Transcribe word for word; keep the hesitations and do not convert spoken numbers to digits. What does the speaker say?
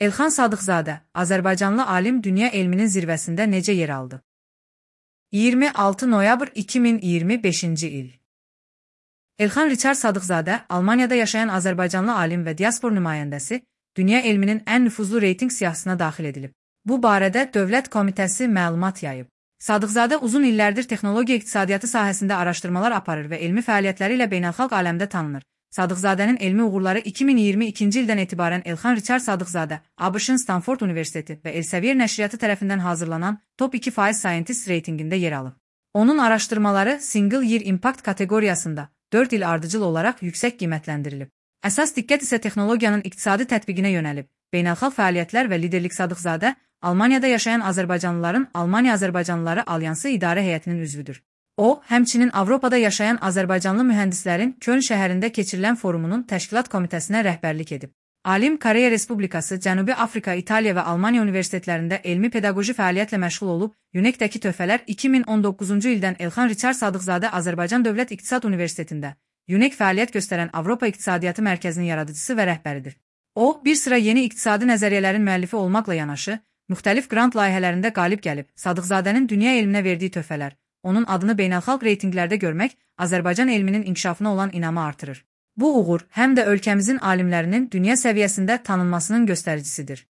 Elxan Sadıqzadə, Azərbaycanlı alim dünya elminin zirvəsində necə yer aldı? iyirmi altı noyabr iki min iyirmi beşinci il. Elxan Riçard Sadıqzadə, Almaniyada yaşayan Azərbaycanlı alim və diaspor nümayəndəsi, dünya elminin ən nüfuzlu reyting siyahısına daxil edilib. Bu barədə Dövlət Komitəsi məlumat yayıb. Sadıqzadə uzun illərdir texnologiya iqtisadiyyatı sahəsində araşdırmalar aparır və elmi fəaliyyətləri ilə beynəlxalq aləmdə tanınır. Sadıqzadənin elmi uğurları iki min iyirmi ikinci ildən etibarən Elxan Riçard Sadıqzadə, ABŞ-ın Stanford Universiteti və Elsevier nəşriyyatı tərəfindən hazırlanan Top iki faiz Scientist reytingində yer alıb. Onun araşdırmaları Single Year Impact kateqoriyasında dörd il ardıcıl olaraq yüksək qiymətləndirilib. Əsas diqqət isə texnologiyanın iqtisadi tətbiqinə yönəlib. Beynəlxalq fəaliyyətlər və liderlik Sadıqzadə, Almaniyada yaşayan Azərbaycanlıların Almaniya Azərbaycanlıları Alyansı İdarə Heyətinin üzvüdür. O, həmçinin Avropada yaşayan Azərbaycanlı mühəndislərin Köln şəhərində keçirilən forumunun təşkilat komitəsinə rəhbərlik edib. Alim Koreya Respublikası, Cənubi Afrika, İtaliya və Almaniya universitetlərində elmi pedaqoji fəaliyyətlə məşğul olub, UNEC-dəki töhfələr iki min on doqquzuncu ildən Elxan Riçard Sadıqzadə Azərbaycan Dövlət İqtisad Universitetində UNEC fəaliyyət göstərən Avropa İqtisadiyyatı Mərkəzinin yaradıcısı və rəhbəridir. O, bir sıra yeni iqtisadi nəzəriyyələrin müəllifi olmaqla yanaşı, müxtəlif qrant layihələrində qalib gəlib. Sadıqzadənin dünya elminə verdiyi töhfələr, onun adını beynəlxalq reytinqlərdə görmək Azərbaycan elminin inkişafına olan inamı artırır. Bu uğur həm də ölkəmizin alimlərinin dünya səviyyəsində tanınmasının göstəricisidir.